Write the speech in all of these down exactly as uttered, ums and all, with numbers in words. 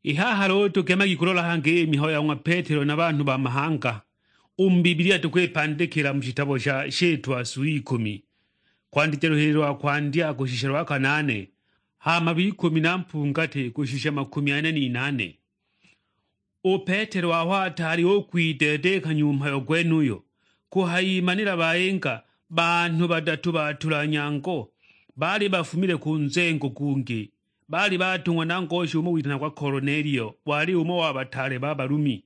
I haha luulu tukemagi kulola hangi i mihayo ya ng'wa Petelo na banhu ba mahanga. U mu Bibilia tukwipandikila mu shitabo sha Shitwa su ikumi, kwandija luhili lwa kwandya kushisha lwa kanaane, hama lw'ikumi na mpungati kushisha makumi ane n'inaane. U Petelo aho ataali u kwiteeteekanya u mhayo gwenuyo, kuhayimanila bayinga banhu badatu batula nyango, baali bafumile ku nzengo gungi. Baali batung'wa na ngosha umo witanagwa Kolonelio, wali umo wa bataale ba Balumi.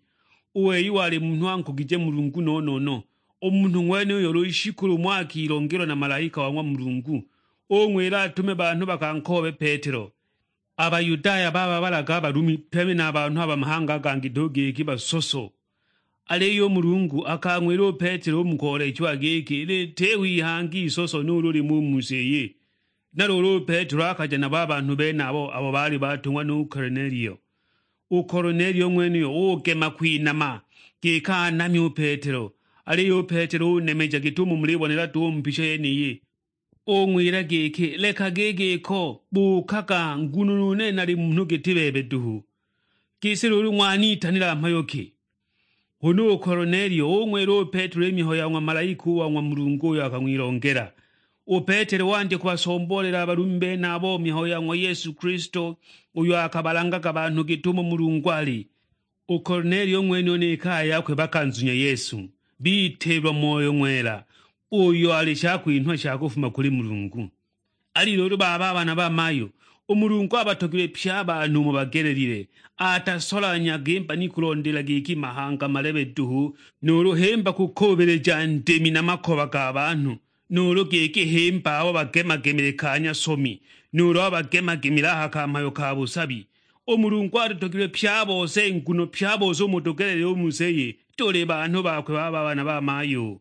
U wei wali munhu ankugije Mulungu no-no-no. U munhu ng'wenuyo lushiku lumo akilongelwa na malaika wa ng'wa Mulungu, ung'wila atume banhu bakankoobe Petelo. A Bayudaya bababalaga a Balumi pye na a banhu a ba mahanga a gangi duhu giki basoso. Aliyo u Mulungu akang'wila u Petelo u mu koolechiwa giki litiho ihangi isoso nuulu limo u mu si iyi. Na luulu u Petelo akaja nabo a banhu benabo abo baali batung'wa nu Kolinelio. U Kolinelio ng'wenuyo ugema kwinama giki anamye u Petelo, aliyo u Petelo unemeja git'umo mulibonela duhu u mu picha yeniyi. Ung'wila giki, "Lekagi i giko, buukaga, nguno nu nene nali munhu giti bebe duhu. Gisi luulu ng'wanitanila mhayo ki?" Huna u Kolinelio ung'wila u Petelo i mihayo ya ng'wa malaika u wa ng'wa Mulungu uyo akang'wilongela. U Petelo wandya kubasomboolela a Balumi benabo mihayo ya ng'wa Yesu Kilisto, uyo akabalangaga banhu git'umo Mulungu ali. U Kolinelio ng'wenuyo ni kaya yakwe bakanzunya Yesu, bitiilwa Moyo Ng'wela, uyo ali shakwinhwa sha kufuma kuli Mulungu. Ali luulu baba a bana ba mayu, u Mulungu abatogilwe pye a banhu umo bagelelile, atasolanyaga i mbani kulondeela giki mahanga malebe duhu, nuulu himba kukuubilija ndimi na makoba ga banhu, nuulu giki himba abo bagemagemile ka nyasomi, nuulu abo bagemagemile a ha ka mhayo ka busabi. U Mulungu atutogilwe pye a bose, nguno pye a bose umo tugelelile u mu si iyi, tuli banhu bakwe baba a bana ba mayu.